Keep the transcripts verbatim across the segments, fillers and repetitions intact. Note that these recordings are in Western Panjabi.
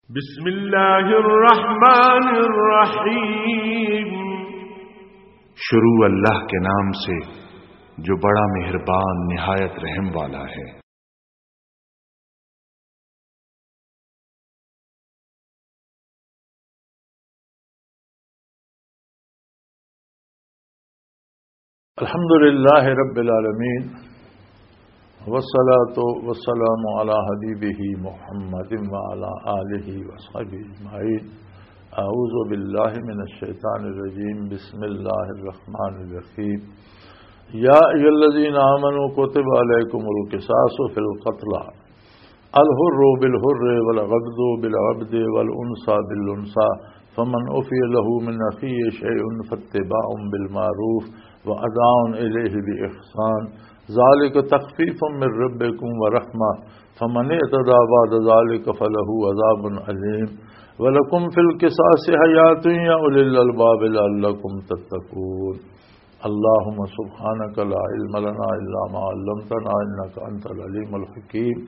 بسم اللہ الرحمن الرحیم۔ شروع اللہ کے نام سے جو بڑا مہربان نہایت رحم والا ہے۔ الحمد للہ رب العالمین، والصلاة والسلام علی حبیبہ محمد وعلی آلہ وصحبہ اجمعین۔ اعوذ باللہ من الشیطان الرجیم، بسم اللہ الرحمن الرحیم۔ یا ایھا الذین آمنوا کتب علیکم القصاص فی القتلى، الحر بالحر والعبد بالعبد والانثى بالانثى، فمن عفي له من اخيه شيء فاتباع بالمعروف واداء اليه باحسان، ذلك تخفيف من ربكم ورحمة، فمن اعتدى بعد ذلك فله عذاب أليم، ولكم في القصاص حياة يا أولي الألباب لعلكم تتقون۔ اللهم سبحانك لا علم لنا إلا ما علمتنا إنك أنت العليم الحكيم۔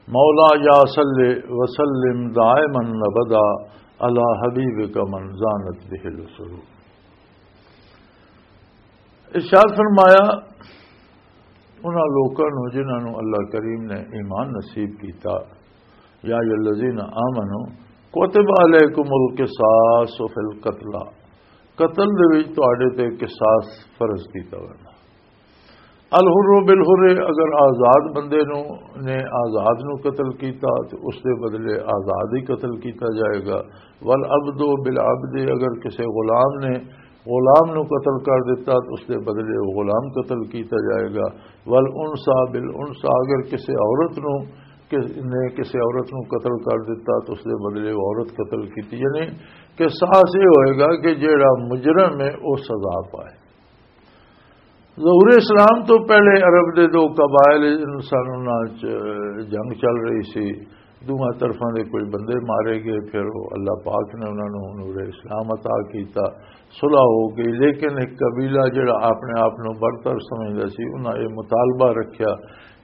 مولاي صل وسلم دائما أبدا على حبيبك من زانت به العصور۔ ارشاد فرمایا، انہاں لوکاں نوں جنہاں نوں اللہ کریم نے ایمان نصیب کیتا، یا ایھا الذین آمنوا کتب علیکم القصاص فی القتلى، قتل دے وچ تہاڈے تے قصاص فرض کیتا ہویا۔ الحر بالحر، اگر آزاد بندے نوں، نے آزاد نوں قتل کیتا تے اس دے بدلے آزاد ہی قتل کیتا جائے گا۔ والعبد بالعبد، اگر کسے غلام نے غلام نوں قتل کر دتا تے اس دے بدلے وہ غلام قتل کیتا جائے گا۔ والانثى بالانثى، اگر کسے عورت نوں، کس نے کسے عورت نوں قتل کر دتا تے اس دے بدلے وہ عورت قتل کیتی۔ یعنی قصاص یہ ہوئے گا کہ جیڑا مجرم ہے وہ سزا پائے۔ ظہور اسلام تو پہلے عرب دے دو قبائل انسانوں نال چ-، جنگ چل رہی سی، دوواں طرفاں دے کوئی بندے مارے گئے، پھر وہ اللہ پاک نے انہاں نوں نور اسلام عطا کیتا، صلح ہو گئی۔ لیکن ایک قبیلہ جڑا اپنے آپ نوں برتر سمجھدا سی، انہاں یہ مطالبہ رکھیا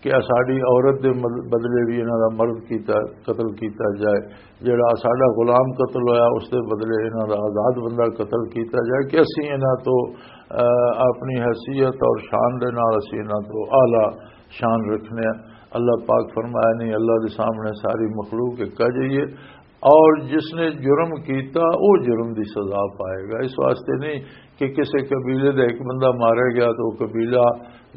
کہ ساڈی عورت دے مد-، بدلے بھی انہاں دا مرد کیتا، قتل کیتا جائے، جڑا ساڈا غلام قتل ہویا، اس دے بدلے انہاں دا آزاد بندہ قتل کیتا جائے کہ اسی انہاں تو، آ، اپنی حیثیت اور شان دے نال اسی انہاں تو اعلیٰ شان رکھنے ہیں۔ اللہ پاک فرمایا، نہیں، اللہ دے سامنے ساری مخلوق ایک جائیے، اور جس نے جرم کیتا، وہ جرم دی سزا پائے گا۔ اس واسطے نہیں کہ کسی قبیلے دا ایک بندہ مارا گیا تو وہ قبیلہ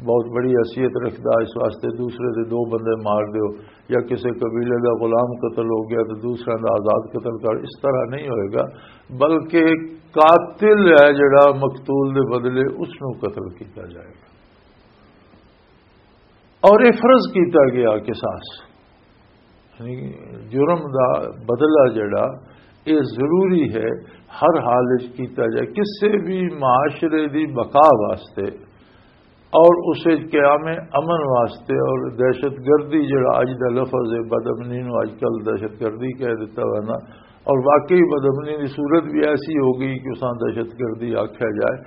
بہت بڑی حیثیت رکھدا، اس واسطے دوسرے دے دو بندے مار دیو، یا کسی قبیلے دا غلام قتل ہو گیا تو دوسرا دا آزاد قتل کر، اس طرح نہیں ہوئے گا، بلکہ قاتل ہے جڑا مقتول دے بدلے اس نوں قتل کیتا جائے گا۔ اور یہ فرض کیتا گیا قصاص، یعنی جرم دا بدلہ جڑا، یہ ضروری ہے ہر حال وچ کیتا جائے، کسے بھی معاشرے دی بقا واسطے اور اس وچ قیام امن واسطے۔ اور دہشت گردی جڑا اج دا لفظ ہے، بدامنی نو اج کل دہشت گردی کہہ دیتا ہوا نا، اور واقعی بدامنی دی صورت بھی ایسی ہو گئی کہ اساں دہشت گردی آکھیا جائے،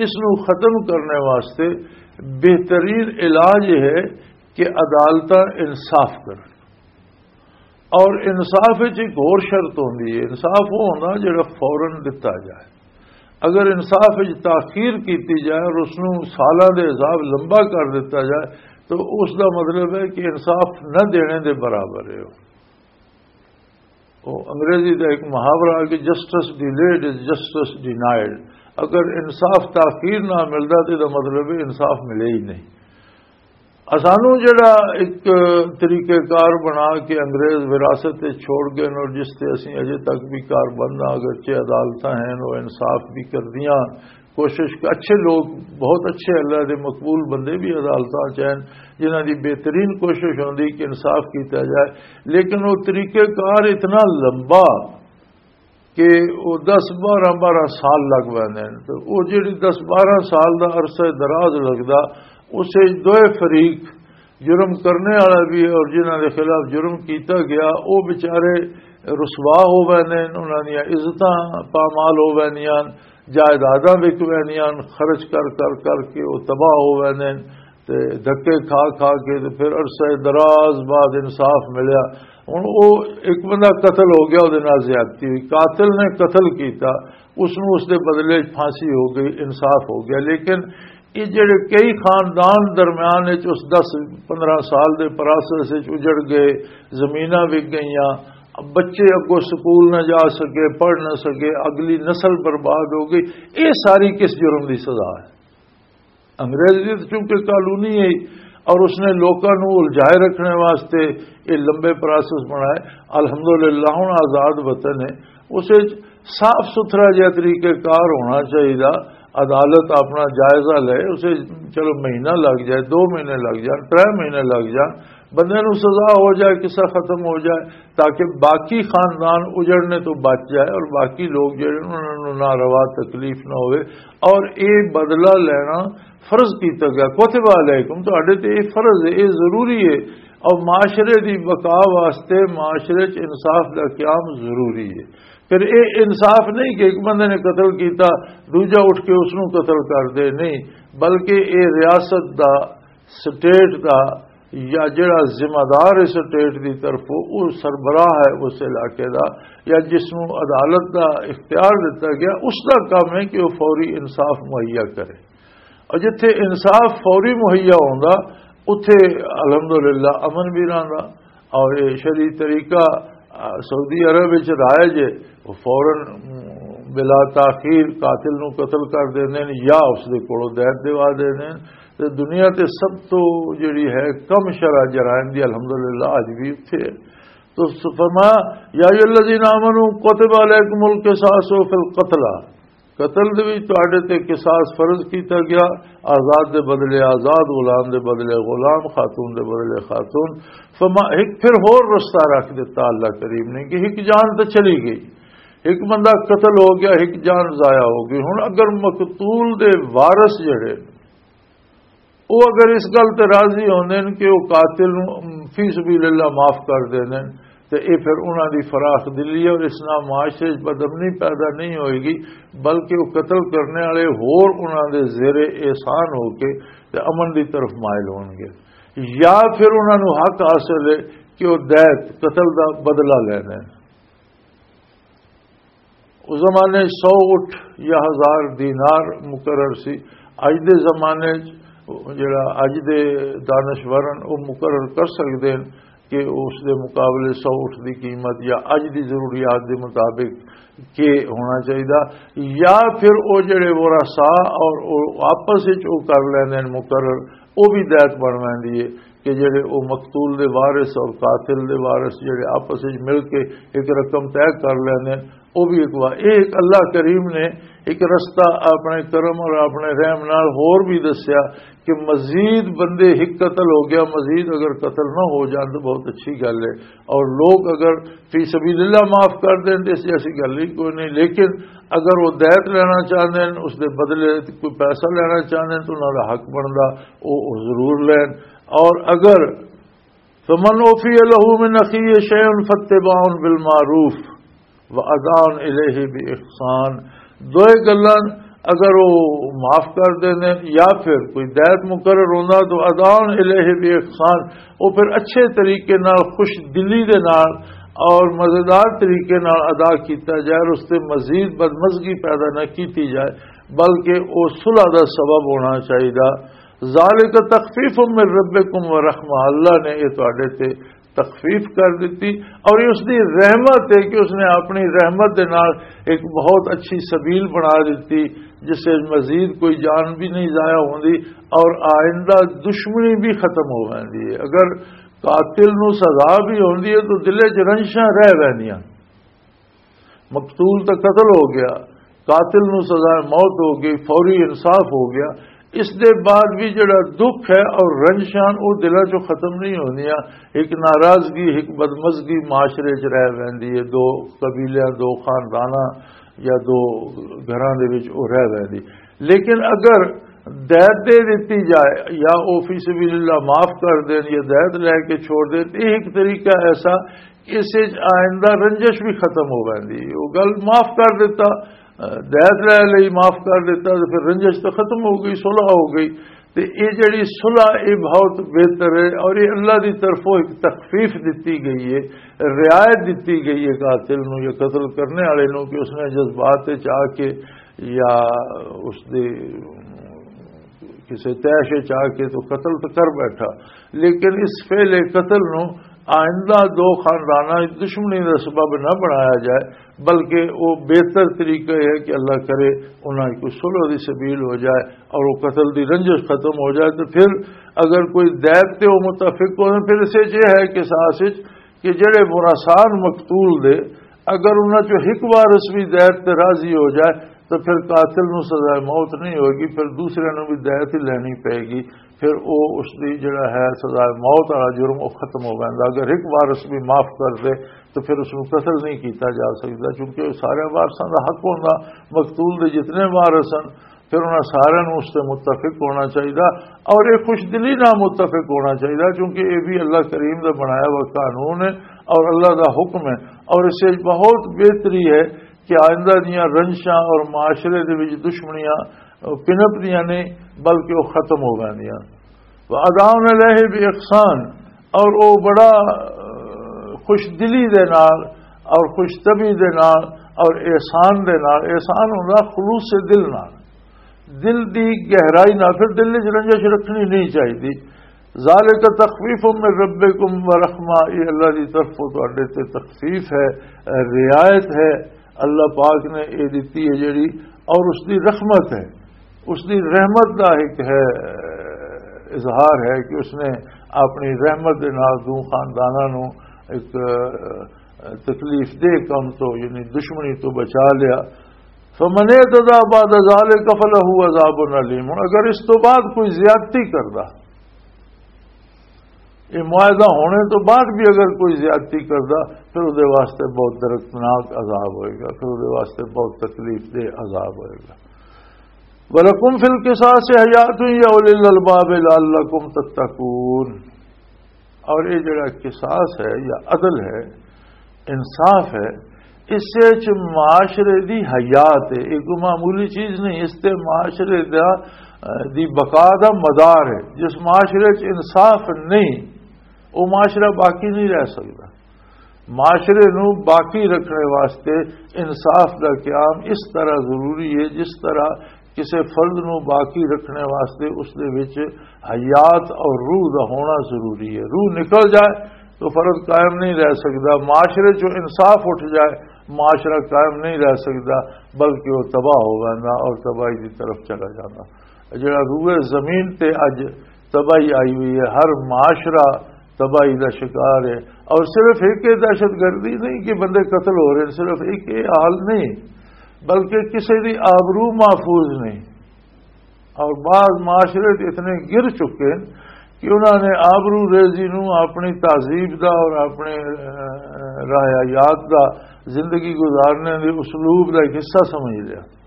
اس نو ختم کرنے واسطے بہترین علاج یہ ہے کہ عدالتاں انصاف کرن۔ اور انصاف وچ ایک ہور شرط ہوندی ہے، انصاف وہ ہونا جڑا فوراً دتا جائے۔ اگر انصاف وچ تاخیر کیتی جائے اور اس نوں سالاں دے حساب لمبا کر دتا جائے تو اس دا مطلب ہے کہ انصاف نہ دینے دے برابر ہے۔ وہ انگریزی دا ایک محاورہ ہے کہ جسٹس ڈیلیڈ از جسٹس ڈینائیڈ۔ اگر انصاف تاخیر نہ ملدا تو دا مطلب ہے انصاف ملے ہی نہیں۔ اسانوں جڑا ایک طریقہ کار بنا کے انگریز وراثت تے چھوڑ گئے اور جس تے اسیں اجے تک بھی کار بند ہاں، اگرچہ عدالتاں ہیں، وہ انصاف بھی کردیاں، کوشش ک-، اچھے لوگ، بہت اچھے اللہ دے مقبول بندے بھی عدالتاں چ ہیں، جنہاں دی بہترین کوشش ہوندی کہ انصاف کیتا جائے، لیکن وہ طریقہ کار اتنا لمبا کہ وہ دس بارہ بارہ سال لگ پیندے نے۔ تے وہ جڑی دس بارہ سال دا عرصہ دراز لگدا، اس وچ دوئے فریق، جرم کرنے والا بھی اور جنہاں دے خلاف جرم کیتا گیا، وہ بیچارے رسوا ہو ویندے نے، انہاں دیاں عزتاں پامال ہو ویندیاں، جائیداداں وک ویندیاں، خرچ کر کر کر کے وہ تباہ ہو ویندے نے۔ تے دھکے کھا کھا کے تے پھر عرصہ دراز بعد انصاف ملیا۔ ہن او ایک بندہ قتل ہو گیا، اودے نال زیادتی ہوئی، قاتل نے قتل کیتا، اس نوں اس دے بدلے وچ پھانسی ہو گئی، انصاف ہو گیا۔ لیکن یہ جڑے کئی خاندان درمیان وچ اس دس پندرہ سال دے پراسس وچ اجڑ گئے، زمیناں وک گئیاں، بچے اگوں سکول نہ جا سکے، پڑھ نہ سکے، اگلی نسل برباد ہو گئی، یہ ساری کس جرم دی سزا ہے؟ انگریز دی تو چونکہ کالونی ہے اور اس نے لوکاں نوں الجھائے رکھنے واسطے یہ لمبے پراسس بنائے۔ الحمدللہ ہن آزاد وطن ہے، اس وچ صاف ستھرا جہا طریقہ کار ہونا چاہیے۔ عدالت اپنا جائزہ لے، اسے چلو مہینہ لگ جائے، دو مہینے لگ جان، ترے مہینے لگ جان، بندے نوں سزا ہو جائے، قصہ ختم ہو جائے، تاکہ باقی خاندان اجڑنے تو بچ جائے اور باقی لوگ جڑے انہاں نوں ناروا تکلیف نہ ہوئے۔ اور یہ بدلہ لینا فرض کیتا گیا، کتب علیکم، تہاڈے تے یہ فرض ہے، یہ ضروری ہے۔ اور معاشرے دی بقا واسطے معاشرے چ انصاف دا قیام ضروری ہے۔ پھر یہ انصاف نہیں کہ ایک بندے نے قتل کیتا، دوجا اٹھ کے اس نوں قتل کر دے، نہیں، بلکہ یہ ریاست دا، سٹیٹ دا، یا جڑا ذمہ دار اس سٹیٹ دی طرفوں، وہ سربراہ ہے اس علاقے دا، یا جس نوں عدالت دا اختیار دتا گیا، اس دا کام ہے کہ وہ فوری انصاف مہیا کرے۔ اور جتھے انصاف فوری مہیا ہوندا، اتھے الحمدللہ امن بھی رہندا۔ اور یہ شرعی طریقہ، آ، سعودی عرب وچ رائج ہے، وہ فوراً، م، بلا تاخیر قاتل نو قتل کر دیندے نے یا اس دے کولوں دیت دیوا دیندے نے۔ تے دنیا تے سب تو جڑی ہے کم شرح جرائم دی الحمدللہ اج بھی اتھے ہے۔ تو فرمایا، یا ایھا الذین آمنوا کتب علیکم القصاص فی القتلى، قتل دے وچ تہاڈے تے قصاص فرض کیتا گیا، آزاد دے بدلے آزاد، غلام دے بدلے غلام، خاتون دے بدلے خاتون۔ فما، ایک پھر ہور رستہ رکھ دیتا اللہ کریم نے کہ ایک جان تے چلی گئی، ایک بندہ قتل ہو گیا، ایک جان ضائع ہو گئی۔ ہن اگر مقتول دے وارث جڑے، وہ اگر اس گل تے راضی ہوندے نے کہ وہ قاتل نوں فی سبیل اللہ معاف کر دیندے نے، تے اے پھر انہاں دی فراخ دلی ہے اور اس نال معاشرے وچ بدامنی پیدا نہیں ہوئے گی، بلکہ وہ قتل کرنے والے ہور انہاں دے زیر احسان ہو کے تے امن دی طرف مائل ہون گے، یا پھر انہاں نوں حق حاصل ہے کہ وہ دیت، قتل دا بدلہ لینے۔ اس زمانے سو اٹھ یا ہزار دینار مقرر سی۔ اج دے زمانے چ جڑا اج دے دانشور ہن، وہ مقرر کر سکدے ہن کہ اس دے مقابلے سو اٹھ دی قیمت یا اج دی ضروریات دے مطابق کے ہونا چاہیدا، یا پھر وہ جڑے ورثاء اور وہ آپس وچ وہ کر لیندے ہن مقرر، وہ بھی دیت بن ویندی ہے۔ کہ جڑے او مقتول دے وارث اور قاتل دے وارث جڑے آپس وچ مل کے ایک رقم طے کر لیندے نے، او بھی ایک وا-، اے ایک اللہ کریم نے ایک رستہ اپنے کرم اور اپنے رحم نال ہور بھی دسیا کہ مزید بندے، ایک قتل ہو گیا، مزید اگر قتل نہ ہو جان تو بہت اچھی گل ہے۔ اور لوگ اگر فی سبیل اللہ معاف کر دین تو اس جیسی گل ہی کوئی نہیں، لیکن اگر وہ دیت لینا چاہتے ہیں، اس دے بدلے کوئی پیسہ لینا چاہتے ہیں تو انہوں کا حق بنتا، وہ ضرور لین۔ اور اگر فمن عفی لہ من اخیہ شیء فاتباع بالمعروف و اداء الیہ باحسان، دوئے گلاں اگر وہ معاف کر دیندے یا پھر کوئی دیت مقرر ہوندا تو اداء الیہ باحسان، وہ پھر اچھے طریقے نال، خوش دلی دے نال اور مزیدار طریقے نال ادا کیتا جائے اور اس تے مزید بدمزگی پیدا نہ کیتی جائے، بلکہ وہ صلح دا سبب ہونا چاہیدا۔ ذالک تخفیف من ربکم و رحمہ، اللہ نے یہ تواڈے تے تخفیف کر دیتی اور یہ اس دی رحمت ہے کہ اس نے اپنی رحمت دے نال ایک بہت اچھی سبیل بنا دیتی، جس سے مزید کوئی جان بھی نہیں ضائع ہوندی اور آئندہ دشمنی بھی ختم ہو جاندی ہے۔ اگر قاتل نو سزا بھی ہوندی ہے تو دلے چ رنجشاں رہ ویندیاں۔ مقتول تے قتل ہو گیا، قاتل نو سزا موت ہو گئی، فوری انصاف ہو گیا، اس دے بعد بھی جڑا دکھ ہے اور رنجشاں، او دلاں چوں ختم نہیں ہوندیاں۔ ایک ناراضگی، ایک بدمزگی معاشرے چ رہ ویندی ہے، دو قبیلیاں، دو خانداناں یا دو گھراں دے وچ او رہ ویندی۔ لیکن اگر دیت دے دتی جائے یا او فی سبیل اللہ معاف کر دین یا دیت لے کے چھوڑ دین، یہ ایک طریقہ ایسا کہ اس وچ آئندہ رنجش بھی ختم ہو ویندی۔ وہ گل معاف کر دیتا، دیت لے لئی، معاف کر دیتا، تو پھر رنجش تو ختم ہو گئی، صلح ہو گئی۔ تے یہ جڑی صلح، یہ بہت بہتر ہے اور یہ اللہ دی طرفوں ایک تخفیف دتی گئی ہے، رعایت دتی گئی ہے قاتل نو یا قتل کرنے والے نو، کہ اس نے جذبات وچ آ کے یا اس دے کسی تیش وچ آ کے تو قتل تو کر بیٹھا، لیکن اس فعل قتل نو آئندہ دو خانداناں وچ دشمنی دا سبب نہ بنایا جائے، بلکہ وہ بہتر طریقہ یہ ہے کہ اللہ کرے انہاں کی کوئی صلح دی سبیل ہو جائے اور وہ قتل دی رنجش ختم ہو جائے۔ تو پھر اگر کوئی دیت تے وہ متفق ہو، پھر اسے یہ ہے قصاص وچ کہ جڑے مراسان مقتول دے، اگر انہاں چوں ایک وارث بھی دیت تے راضی ہو جائے تو پھر قاتل نو سزا موت نہیں ہوگی، پھر دوسرے نو بھی دیت ہی لینی پئے گی۔ پھر او اس دی جڑا ہے سزا موت والا جرم، او ختم ہو ویندا۔ اگر ایک وارث بھی معاف کر دے تو پھر اس نو قتل نہیں کیتا جا سکدا، کیونکہ سارے وارثاں دا حق ہوندا، مقتول دے جتنے وارث ہن، پھر انہاں سارے نو اس تے متفق ہونا چاہیدا اور یہ خوش دلی نہ متفق ہونا چاہیدا، کیونکہ یہ بھی اللہ کریم دا بنایا ہوا قانون ہے اور اللہ دا حکم ہے۔ اور اس وچ بہت بہتری ہے کہ آئندہ دیاں رنجشاں اور معاشرے دے وچ دشمنیاں پنپ دیاں نہیں، بلکہ وہ ختم ہو ویندیاں۔ وَأَدَاءً إِلَيْهِ بِإِحْسَانٍ، اور وہ بڑا، آ، خوش دلی دے نال اور خوش طبعی دے نال اور احسان دے نال، احسان ہوندا خلوص دل نال، دل دی گہرائی نال، پھر دل وچ رنجش رکھنی نہیں چاہیے۔ ذَلِكَ تَخْفِيفٌ مِّن رَّبِّكُمْ وَرَحْمَةٌ، یہ اللہ دی طرفوں تہاڈے تے تخفیف ہے، رعایت ہے۔ اللہ پاک نے یہ دتی ہے جڑی، اور اس دی رحمت ہے، اس دی رحمت دا ایک ہے، اظہار ہے کہ اس نے اپنی رحمت دے نال دو خانداناں نو ایک، آ، تکلیف دہ کم تو، یعنی دشمنی تو بچا لیا۔ فَمَنِ اعْتَدَىٰ بَعْدَ ذَٰلِكَ فَلَهُ عَذَابٌ أَلِيمٌ، اگر اس تو بعد کوئی زیادتی کردا، یہ معاہدہ ہونے تو بعد بھی اگر کوئی زیادتی کردا، پھر وہ واسطے بہت دردناک عذاب ہوئے گا، پھر وہ واسطے بہت تکلیف دہ عذاب ہوئے گا۔ وَلَكُمْ فِي الْقِصَاصِ حَيَاةٌ يَا أُولِي الْأَلْبَابِ لَعَلَّكُمْ تَتَّقُونَ۔ اور یہ جڑا قصاص ہے یا عدل ہے، انصاف ہے، اس وچ معاشرے دی حیات ہے۔ یہ کوئی معمولی چیز نہیں، اس تے معاشرے دا، دی بقا دا مدار ہے۔ جس معاشرے وچ انصاف نہیں، وہ معاشرہ باقی نہیں رہ سکدا۔ معاشرے نو باقی رکھنے واسطے انصاف دا قیام اس طرح ضروری ہے، جس طرح کسی فرد نو باقی رکھنے واسطے اس دے وچ حیات اور روح دا ہونا ضروری ہے۔ روح نکل جائے تو فرد قائم نہیں رہ سکدا۔ معاشرے چوں انصاف اٹھ جائے، معاشرہ قائم نہیں رہ سکدا، بلکہ وہ تباہ ہو ویندا اور تباہی دی طرف چلا جاندا۔ جڑا روح زمین تے اج تباہی آئی ہوئی ہے، ہر معاشرہ تباہی دا شکار ہے۔ اور صرف ایک یہ دہشت گردی نہیں کہ بندے قتل ہو رہے ہیں، صرف ایک یہ حال نہیں، بلکہ کسی دی آبرو محفوظ نہیں۔ اور بعض معاشرے تے اتنے گر چکے ہیں کہ انہوں نے آبرو ریزی نو اپنی تہذیب دا اور اپنے، اہ، روایات دا، زندگی گزارنے دے اسلوب دا ایک حصہ سمجھ لیا۔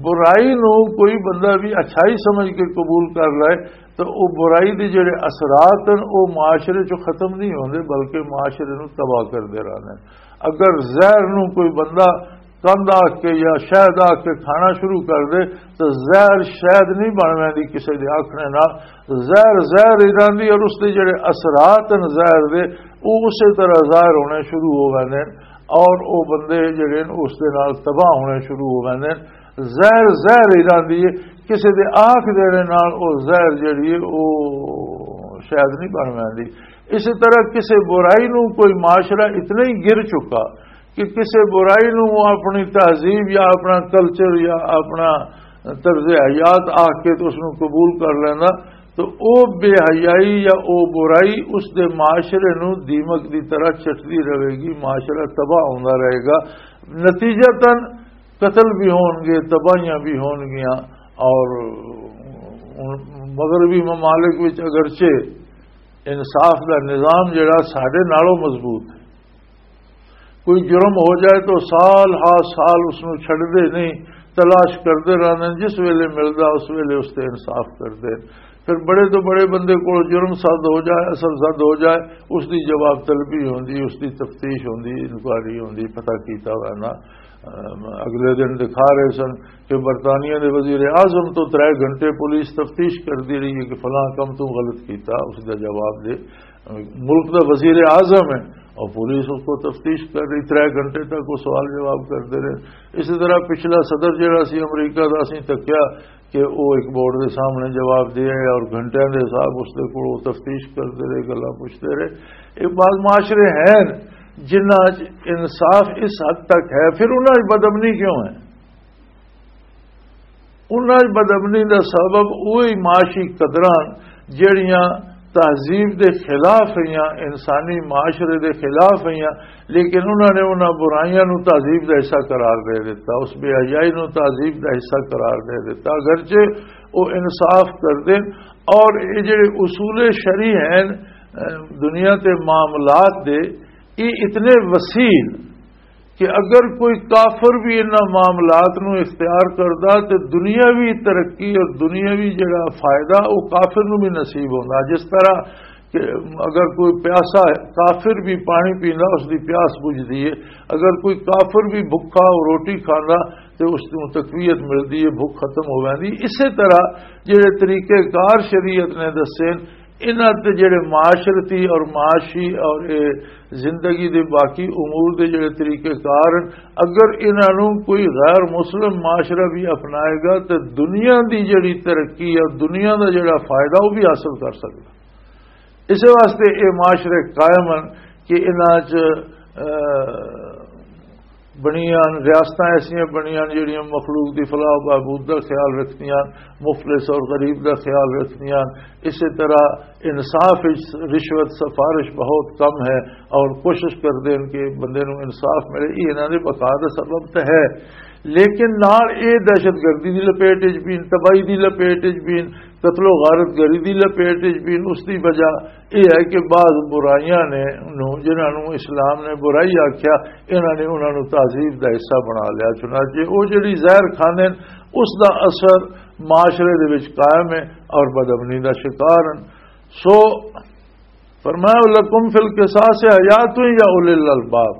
برائی نو کوئی بندہ بھی اچھائی سمجھ کے قبول کر لائے تو وہ برائی دے جڑے اثرات ہیں، وہ معاشرے چوں ختم نہیں ہوندے، بلکہ معاشرے نو تباہ کردے رہندے ہیں۔ اگر زہر نو کوئی بندہ کند آ کے یا شہد آ کے کھانا شروع کر دے تو زہر شہد نہیں بن ویندی کسی دے آکھنے نال۔ زہر زہر ہی رہندی اور اس دے جڑے اثرات ہیں زہر دے، وہ اسی طرح ظاہر ہونے شروع ہو ویندے ہیں اور وہ بندے جڑے نے اس دے نال تباہ ہونے شروع ہو ویندے ہیں۔ زہر زہر ہی رہندی ہے، کسی دے آنکھ دینے نال وہ زہر جڑی ہے وہ شاید نہیں بن ویندی۔ اسی طرح کسی برائی نو کوئی معاشرہ اتنا ہی گر چکا کہ کسی برائی نو وہ اپنی تہذیب یا اپنا کلچر یا اپنا طرز حیات آ کے تو اس نو قبول کر لینا، تو او بے حیائی یا او برائی اس دے معاشرے نو دیمک دی طرح چٹدی رہے گی، معاشرہ تباہ ہوندا رہے گا۔ نتیجتاً قتل بھی ہون گے، تباہیاں بھی ہون گیاں، اور مغربی ممالک وچ اگرچہ انصاف دا نظام جڑا ساڈے نالوں مضبوط ہے، کوئی جرم ہو جائے تو سال ہا سال اس نو چھڈدے نہیں، تلاش کردے رہندے نے، جس ویلے ملدا اس ویلے اس تے انصاف کردے۔ پھر بڑے تو بڑے بندے کول جرم سد ہو جائے، اصل سد ہو جائے، اس دی جواب طلبی ہوندی، اس دی تفتیش ہوندی، انکوائری ہوندی، پتہ کیتا ہوا نا۔ ام، اگلے دن دکھا رہے سن کہ برطانیہ دے وزیر اعظم تو ترے گھنٹے پولیس تفتیش کردی رہی ہے کہ فلاں کم تو غلط کیتا، اس دا جواب دے۔ ملک دا وزیر اعظم ہے اور پولیس اس کو تفتیش کر رہی، ترے گھنٹے تک وہ سوال جواب کرتے رہے۔ اسی طرح پچھلا صدر جڑا سی امریکہ دا، اسی تکیا کہ وہ ایک بورڈ دے سامنے جواب دے اور گھنٹیاں دے حساب اس دے کول وہ تفتیش کرتے رہے، گلاں پوچھتے رہے۔ یہ بعض معاشرے ہیں جنہاں چ انصاف اس حد تک ہے، پھر انہاں چ بدامنی کیوں ہے؟ انہاں دی بدامنی دا سبب اوہی معاشی قدراں جڑیاں تہذیب دے خلاف ہیاں، انسانی معاشرے دے خلاف ہیاں، لیکن انہاں نے انہاں برائیاں نوں تہذیب دا حصہ قرار دے دیتا، اس بے حیائی نوں تہذیب دا حصہ قرار دے دیتا۔ اگرچہ وہ انصاف کردے اور یہ جڑے اصول شرعی ہیں، اہ، دنیا تے معاملات دے، یہ اتنے وسیع کہ اگر کوئی کافر بھی انہاں معاملات نو اختیار کردا تے دنیاوی ترقی اور دنیاوی جڑا فائدہ وہ کافر نو بھی نصیب ہوندا۔ جس طرح کہ اگر کوئی پیاسا ہے، کافر بھی پانی پیندا، اس دی پیاس بجھدی ہے۔ اگر کوئی کافر بھی بھکھا روٹی کھاندا تے اس نوں تقویت ملدی ہے، بھوک ختم ہو ویندی۔ اسی طرح جڑے طریقے کار شریعت نے دسے، انہاں تے جڑے معاشرتی اور معاشی اور اے زندگی دے باقی امور دے جڑے طریقے کار ہن، اگر انہاں نوں کوئی غیر مسلم معاشرہ بھی اپنائے گا تے دنیا دی جڑی ترقی اور دنیا دا جڑا فائدہ وہ بھی حاصل کر سکدا۔ اس واسطے اے معاشرے قائم ہن کہ انہاں چ، اہ، بنیاں، ریاستاں ایسیاں بنیاں جڑیاں مخلوق دی فلاح و بہبود دا خیال رکھدیاں، مفلس اور غریب دا خیال رکھدیاں۔ اسی طرح انصاف وچ رشوت سفارش بہت کم ہے اور کوشش کردے ہیں کہ بندے نوں انصاف ملے۔ یہ انہاں دے بقا دا سبب تے ہے، لیکن نال اے دہشت گردی دی لپیٹ وچ بھی، تباہی دی لپیٹ وچ بھی، قتل و غارت گری دی لپیٹ وچ بھی۔ اس دی وجہ یہ ہے کہ بعض برائیاں نے نوں، جنہاں نوں اسلام نے برائی آکھیا، انہاں نے انہاں نوں تہذیب دا حصہ بنا لیا۔ چنانچہ وہ جڑی زہر کھاندے نے، اس دا اثر معاشرے دے وچ قائم ہے اور بدامنی دا شکار ہیں۔ سو فرمایا، "لکم فی القصاص حیات یا اولی الالباب۔"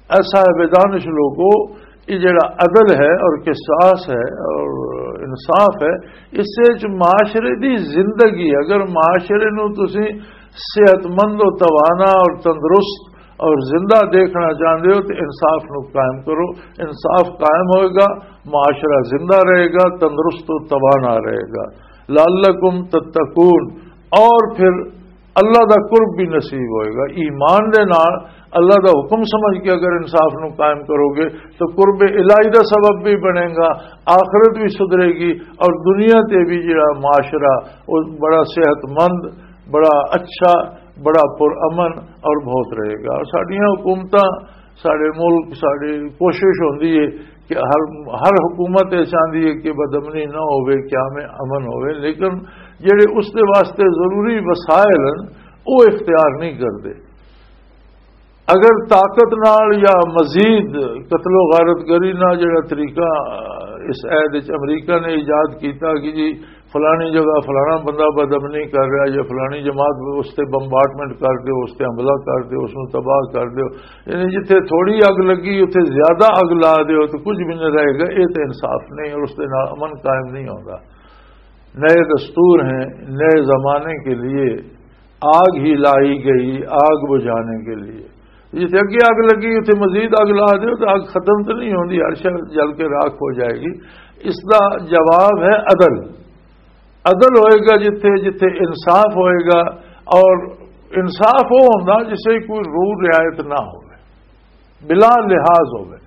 اے صاحب دانش لوگو، یہ جڑا عدل ہے اور قصاص ہے اور انصاف ہے، اس سے جو معاشرے دی زندگی ہے، اگر معاشرے نو تسی صحت مند و توانا اور تندرست اور زندہ دیکھنا چاہتے ہو تو انصاف نو قائم کرو۔ انصاف قائم ہوئے گا، معاشرہ زندہ رہے گا، تندرست و توانا رہے گا۔ لعلکم تتقون، اور پھر اللہ دا قرب بھی نصیب ہوئے گا۔ ایمان دے نال اللہ دا حکم سمجھ کے اگر انصاف نو قائم کرو گے تو قرب الہی دا سبب بھی بنے گا، آخرت بھی سدھرے گی اور دنیا تے بھی جڑا معاشرہ وہ بڑا صحت مند، بڑا اچھا، بڑا پر امن اور بہت رہے گا۔ اور ساڈیاں حکومتاں، ساڈے ملک، ساڈی کوشش ہوندی ہے کہ ہر، ہر حکومت یہ چاہندی ہے کہ بدامنی نہ ہوئے، قیام امن ہوئے، لیکن جڑے اس دے واسطے ضروری وسائل ہیں، وہ اختیار نہیں کرتے۔ اگر طاقت نال یا مزید قتل و غارت گری نال جڑا طریقہ اس عہد وچ امریکہ نے ایجاد کیتا کہ جی فلانی جگہ فلانا بندہ بدامنی کر رہا یا فلانی جماعت اس تے بمبارڈمنٹ کر دیو، اس تے حملہ کر دیو، اس نوں تباہ کر دیو، یعنی جتھے تھوڑی اگ لگی اتھے زیادہ اگ لا دیو تو کچھ بھی نہیں رہے گا، یہ تے انصاف نہیں اور اس دے نال امن قائم نہیں ہوتا۔ نئے دستور ہیں، نئے زمانے کے لیے آگ ہی لائی گئی آگ بجھانے کے لیے۔ جتھے اگے اگ لگی اتھے مزید اگ لا دیو تو اگ ختم تو نہیں ہوندی، ہر شے جل کے راکھ ہو جائے گی۔ اس دا جواب ہے عدل۔ عدل ہوئے گا جتھے، جتھے انصاف ہوئے گا، اور انصاف وہ ہوندا جسے کوئی رو رعایت نہ ہوئے، بلا لحاظ ہوئے،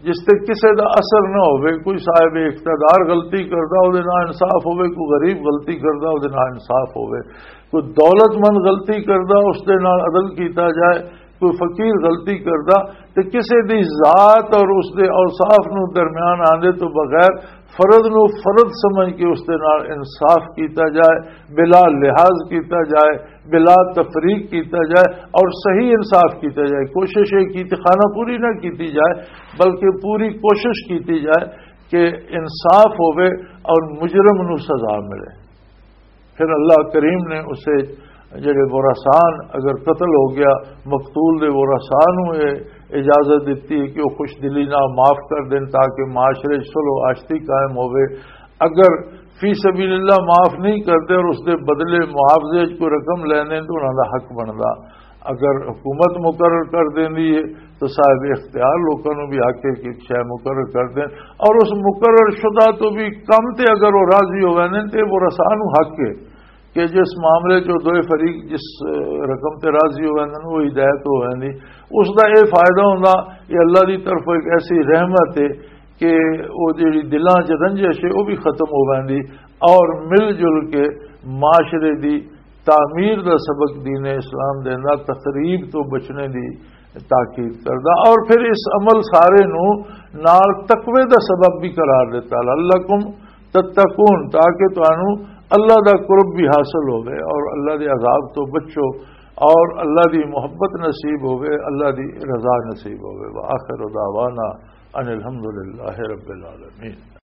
جس تے کسے دا اثر نہ ہوئے۔ کوئی صاحب اقتدار غلطی کردا، او دے نال انصاف ہوئے، کوئی غریب غلطی کردا، او دے نال انصاف ہوئے، کوئی دولت مند غلطی کردا، اس دے نال عدل کیتا جائے، کوئی فقیر غلطی کردا، تے کسے دی ذات اور اس دے اوصاف نو درمیان آندے تو بغیر فرد نو فرد سمجھ کے اس دے نال انصاف کیتا جائے، بلا لحاظ کیتا جائے، بلا تفریق کیتا جائے اور صحیح انصاف کیتا جائے۔ کوشش یہ کی خانہ پوری نہ کیتی جائے، بلکہ پوری کوشش کیتی جائے کہ انصاف ہوئے اور مجرم نو سزا ملے۔ پھر اللہ کریم نے اسے، جڑے ورثان، اگر قتل ہو گیا، مقتول دے ورثان نو یہ اجازت دیتی ہے کہ وہ خوش دلی نہ معاف کر دیں تاکہ معاشرے 'چ صلح و آشتی قائم ہوئے۔ اگر فی سبیل اللہ معاف نہیں کرتے اور اس دے بدلے معاوضے 'چ کوئی رقم لینے تو انہاں دا حق بندا۔ اگر حکومت مقرر کر دیندی ہے تو صاحب اختیار لوکاں نوں بھی حق ہے کہ ایک شے مقرر کر دین، اور اس مقرر شدہ تو بھی کم تے اگر وہ راضی ہو ویندے تے وہ رسا نوں حق ہے کہ جس معاملے چ دوئے فریق جس، اے، رقم تے راضی ہو ویندے، وہ ہدایت ہو ویندی۔ اس دا یہ فائدہ ہوندا، یہ اللہ دی طرف ایک ایسی رحمت ہے کہ وہ جڑی دلاں چ رنجش ہے وہ بھی ختم ہو ویندی، اور مل جل کے معاشرے دی تعمیر دا سبق دین اسلام دیندا، تخریب تو بچنے دی تاکید کردا، اور پھر اس عمل سارے نو نال تقوی دا سبب بھی قرار دیتا، لعلکم تتقون، تاکہ تانوں اللہ دا قرب بھی حاصل ہوے اور اللہ دے عذاب تو بچو اور اللہ دی محبت نصیب ہوے، اللہ دی رضا نصیب ہوے۔ وآخر دعوانا ان الحمدللہ رب العالمین۔